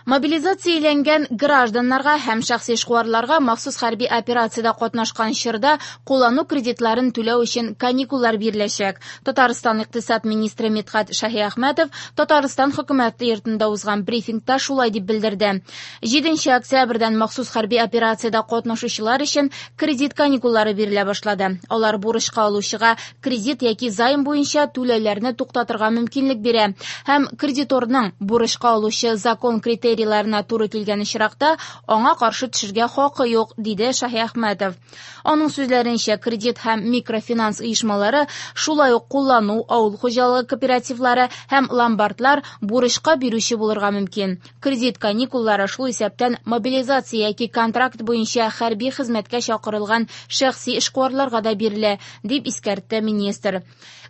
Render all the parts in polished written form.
Мобилизацияләнгән гражданнарга һәм шәхси эшкуарларга махсус хәрби операциядә катнашкан чорда куллану кредитларын түләү өчен каникуллар биреләчәк. Татарстан икътисад министры Мидхәт Шаһиәхмәтов Татарстан хөкүмәте йортында узган брифингта шулай дип белдерде. 7 октябрьдән махсус хәрби операциядә катнашучылар өчен кредит каникуллары бирелә башлады. Алар бурычка алучыга кредит яки займ буенча түләүләрне туктатырга мөмкинлек бирә һәм кредиторның бурычка алучы закон критерийларына туры килгән очракта аңа каршы төшергә хакы юк, диде Шаһиәхмәтов. Аның сүзләренчә, кредит һәм микрофинанс оешмалары, шулай ук куллану, авыл хуҗалыгы кооперативлары һәм ломбардлар бурычка бирүче булырга мөмкин. Кредит каникуллары шул исәптән мобилизация яки контракт буенча хәрби хезмәткә чакырылган шәхси эшкуарларга да бирелә, дип искәртте министр.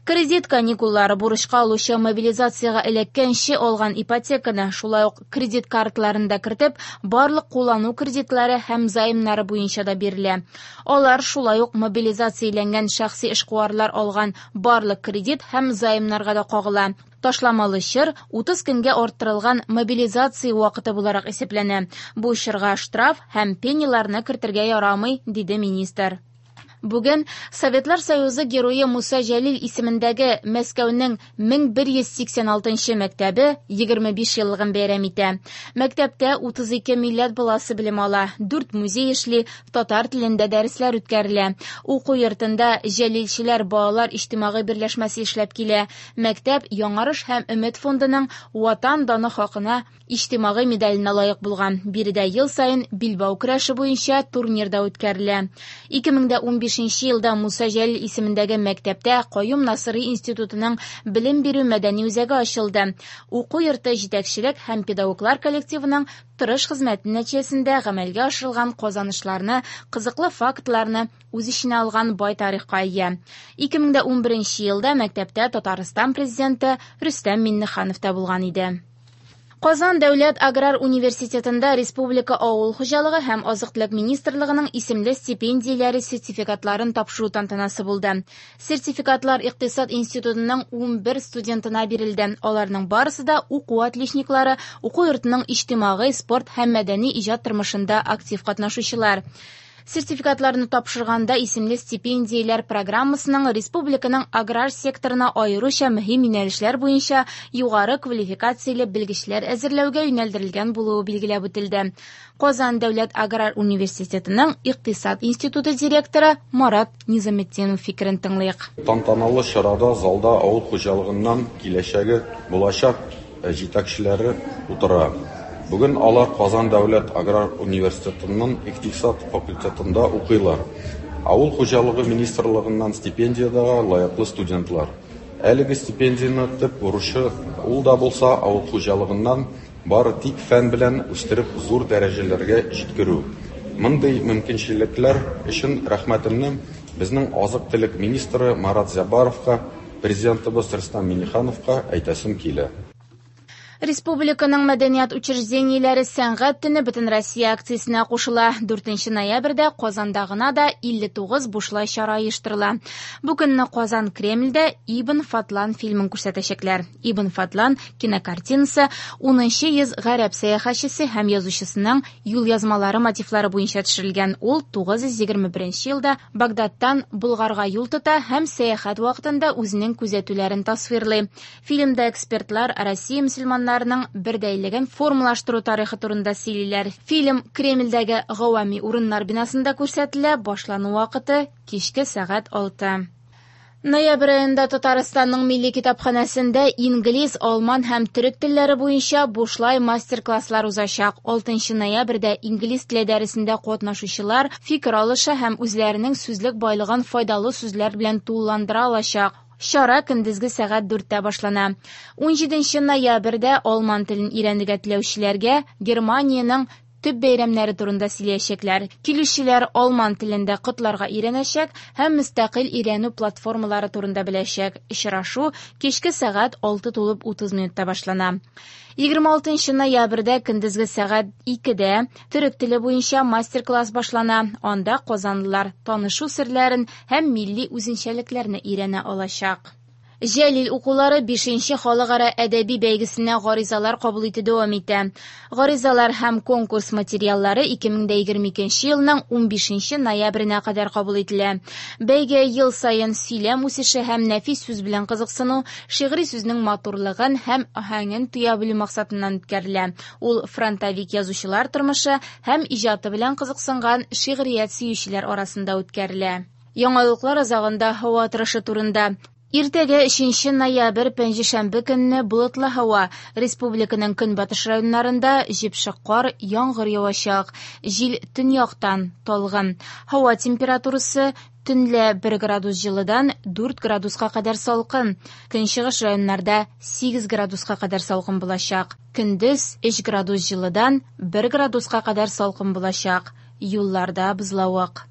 Кредит каникуллары бурычка алучы мобилизациягә эләккәнче алган ипотеканы, шулай ук кредит карталарын да кертеп, барлык куллану кредитлары һәм займнары буенча да бирелә. Алар шулай ук мобилизацияләнгән шәхси эшкуарлар алган барлык кредит һәм займнарга да кагыла. Ташламалы чор 30 көнгә арттырылган мобилизация вакыты буларак исәпләнә. Бу чорга штраф һәм пеняларны кертергә ярамый, диде министр. Бүген Советлар Союзы герое Муса Җәлил исемендәге Мәскәүнең 1186 мәктәбе 25 еллыгын бәйрәм итә. Мәктәптә 32 милләт баласы белем ала, 4 музей эшли, татар телендә дәресләр үткәрелә. Уку йортында Җәлилчеләр балалар иҗтимагый берләшмәсе эшләп килә. Мәктәп Яңарыш һәм Өмет фондының Ватан даны хакына иҗтимагый медаленә лаек булган. Биредә ел саен билбау көрәше буенча турнир да үткәрелә. 2015 елда Муса Җәлил исемендәге мәктәптә Каюм Насыйри институтының белем бирү мәдәни үзәге ачылды. Уку йорты җитәкчелек һәм педагоглар коллективының тырыш хезмәте нәтиҗәсендә гамәлгә ашырылган казанышларны, кызыклы фактларны үз эченә алган бай тарихка ия. 2011 елда мәктәптә Татарстан президенты Рөстәм Миңнеханов та булган иде. Казан дәүләт аграр университетында Республика авыл хуҗалыгы һәм азык-төлек министрлыгының исемле стипендияләре сертификатларын тапшыру тантанасы булды. Сертификатлар икътисад институтының 11 студентына бирелде. Аларның барысы да уку отличниклары, уку йортының иҗтимагый, спорт һәм мәдәни иҗат тормышында актив катнашучылар. Сертификатларны тапшырганда исемле стипендияләр программасының республиканың аграр секторына аеруча мөһим юнәлешләр буенча югары квалификацияле белгечләр әзерләүгә юнәлдерелгән булуы билгеләп үтелде. Казан дәүләт аграр университетының икътисад институты директоры Марат Низаметдинов фикерен тыңлыйк. Тантаналы чарада залда авыл хуҗалыгыннан киләчәге булачак җитәкчеләре утыра. Бүген алар Казан дәүләт аграр университетының икътисад факультетында укыйлар. Авыл хуҗалыгы министрлыгыннан стипендиягә лаеклы студентлар. Әлеге стипендияне төп бурычы ул да булса авыл хуҗалыгыннан бары тик фән белән үстереп зур дәрәҗәләргә җиткерү. Мондый мөмкинчелекләр өчен рәхмәтемне безнең азык-төлек министры Марат Зяббаровка, президентыбыз Рөстәм Миңнехановка әйтәсем килә. Республиканың мәдәният учреждениеләре сәнгать төне Бөтенроссия акциясенә кушыла. 4 ноябрьдә Казанда гына да 59 бушлай чара оештырыла. Бу көнне Казан Кремльдә Ибн Фадлан фильмын күрсәтәчәкләр. Ибн Фадлан кинокартинасы 10 йөз гарәп сәяхәтчесе һәм язучысының юлъязмалары мотивлары буенча төшерелгән. Ул 921 елда Багдадтан Болгарга юл тота һәм сәяхәт вакытында үзенең күзәтүләрен тасвирлый. Фильмда экспертлар Россия мөселманнарының бердәйлеген формалаштыру тарихы турында сөйлиләр. Фильм Кремльдәге Гавами урыннар бинасында күрсәтелә. Башлану вакыты кичке сәгать 6. Ноябрь аенда Татарстанның милли китапханәсендә инглиз, алман һәм төрек телләре буенча бушлай мастер-класслар узачак. 6 ноябрьдә инглиз теле дәресендә катнашучылар фикер алыша һәм үзләренең сүзлек байлыгын файдалы сүзләр белән тулыландыра алачак. Чара көндезге сәгать 4-тә башлана. 17 ноябрьдә алман телен өйрәнергә теләүчеләргә Германиянең төп бәйрәмнәре турында сөйләячәкләр. Килүчеләр алман телендә котларга өйрәнәчәк һәм мөстәкыйль өйрәнү платформалары турында беләчәк. Очрашу кичке сәгать 6:30 минутта башлана. 26 ноябрьдә көндезге сәгать 2-дә төрек теле буенча мастер-класс башлана. Анда казанлылар танышу серләрен һәм милли үзенчәлекләрне өйрәнә алачак. Җәлил укулары 5нче халыкара әдәби бәйгесенә гаризалар кабул итү дәвам итә. Гаризалар һәм конкурс материаллары 2022 елның 15 ноябренә кадәр кабул ителә. Бәйге ел саен сөйләм үсеше һәм нәфис сүз белән кызыксыну, шигъри сүзнең матурлыгын һәм аһәңен тоя белү максатыннан үткәрелә. Ул фронтовик язучылар тормышы һәм иҗаты белән кызыксынган шигърият сөючеләр арасында үткәрелә. Яңалыклар азагында һава торышы турында. Иртәгә 3 ноябрь пәнҗешәмбе көнне болытлы һава. Республиканың көнбатыш районнарында җепшек кар, яңгыр явачак. Җил төньяктан талгын. Һава температурасы төнлә 1 градус җылыдан 4 градуска кадәр салкын. Көнчыгыш районнарда 8 градуска кадәр салкын булачак. Көндез 3 градус җылыдан 1 градуска кадәр салкын булачак. Юлларда бозлавык.